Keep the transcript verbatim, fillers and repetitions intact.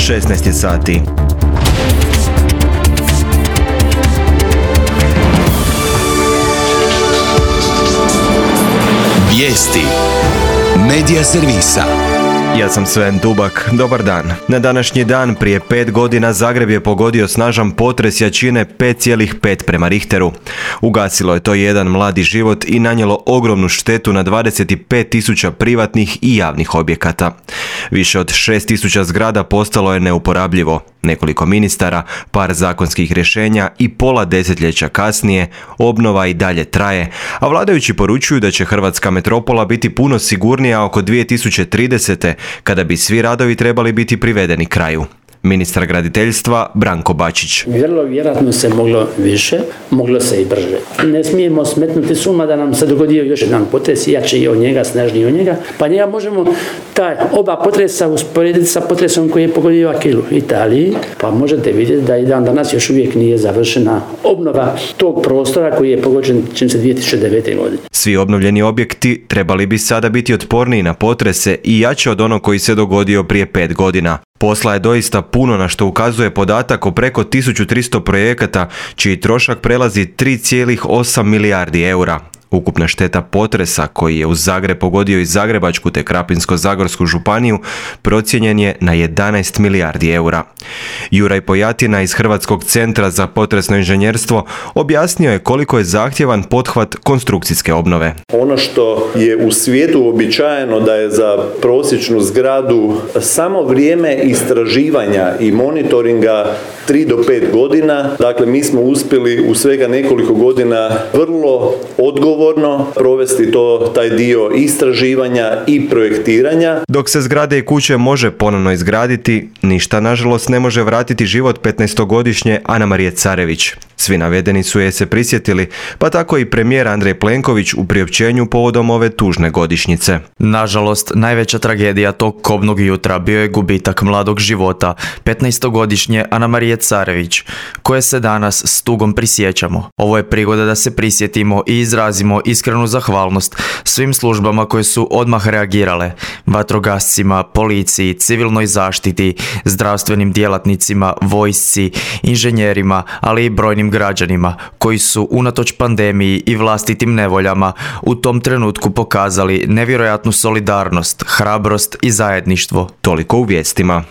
šesnaest je sati. Vijesti Medija servisa. Ja sam Sven Dubak, dobar dan. Na današnji dan prije pet godina Zagreb je pogodio snažan potres jačine pet zarez pet prema Richteru. Ugasilo je to jedan mladi život i nanijelo ogromnu štetu na dvadeset pet tisuća privatnih i javnih objekata. Više od šest tisuća zgrada postalo je neuporabljivo. Nekoliko ministara, par zakonskih rješenja i pola desetljeća kasnije obnova i dalje traje, a vladajući poručuju da će hrvatska metropola biti puno sigurnija oko dvije tisuće tridesete kada bi svi radovi trebali biti privedeni kraju. Ministar graditeljstva Branko Bačić. Vrlo vjerojatno se moglo više, moglo se i brže. Ne smijemo smetnuti suma da nam se dogodio još jedan potres, jači od njega, snažniji od njega, pa njega možemo taj oba potresa usporediti sa potresom koji je pogodio Akilu u Italiji, pa možete vidjeti da i dan danas još uvijek nije završena obnova tog prostora koji je pogođen čim se dvije tisuće devete. godine. Svi obnovljeni objekti trebali bi sada biti otporniji na potrese i jači od onog koji se dogodio prije pet godina. Posla je doista puno, na što ukazuje podatak o preko tisuću tristo projekata čiji trošak prelazi tri zarez osam milijardi eura. Ukupna šteta potresa koji je u Zagreb pogodio i Zagrebačku te Krapinsko-zagorsku županiju procijenjen je na jedanaest milijardi eura. Juraj Pojatina iz Hrvatskog centra za potresno inženjerstvo objasnio je koliko je zahtjevan pothvat konstrukcijske obnove. Ono što je u svijetu uobičajeno da je za prosječnu zgradu samo vrijeme istraživanja i monitoringa tri do pet godina, dakle mi smo uspjeli u svega nekoliko godina vrlo odgovorno provesti to, taj dio istraživanja i projektiranja. Dok se zgrade i kuće može ponovno izgraditi, ništa nažalost ne može vratiti život petnaestogodišnje Anamarije Carević. Svi navedeni su je se prisjetili, pa tako i premijer Andrej Plenković u priopćenju povodom ove tužne godišnjice. Nažalost, najveća tragedija tog kobnog jutra bio je gubitak mladog života, petnaestogodišnje Anamarije Carević, koje se danas s tugom prisjećamo. Ovo je prigoda da se prisjetimo i izrazimo iskrenu zahvalnost svim službama koje su odmah reagirale, vatrogascima, policiji, civilnoj zaštiti, zdravstvenim djelatnicima, vojsci, inženjerima, ali i brojnim građanima koji su unatoč pandemiji i vlastitim nevoljama u tom trenutku pokazali nevjerojatnu solidarnost, hrabrost i zajedništvo. Toliko u vijestima.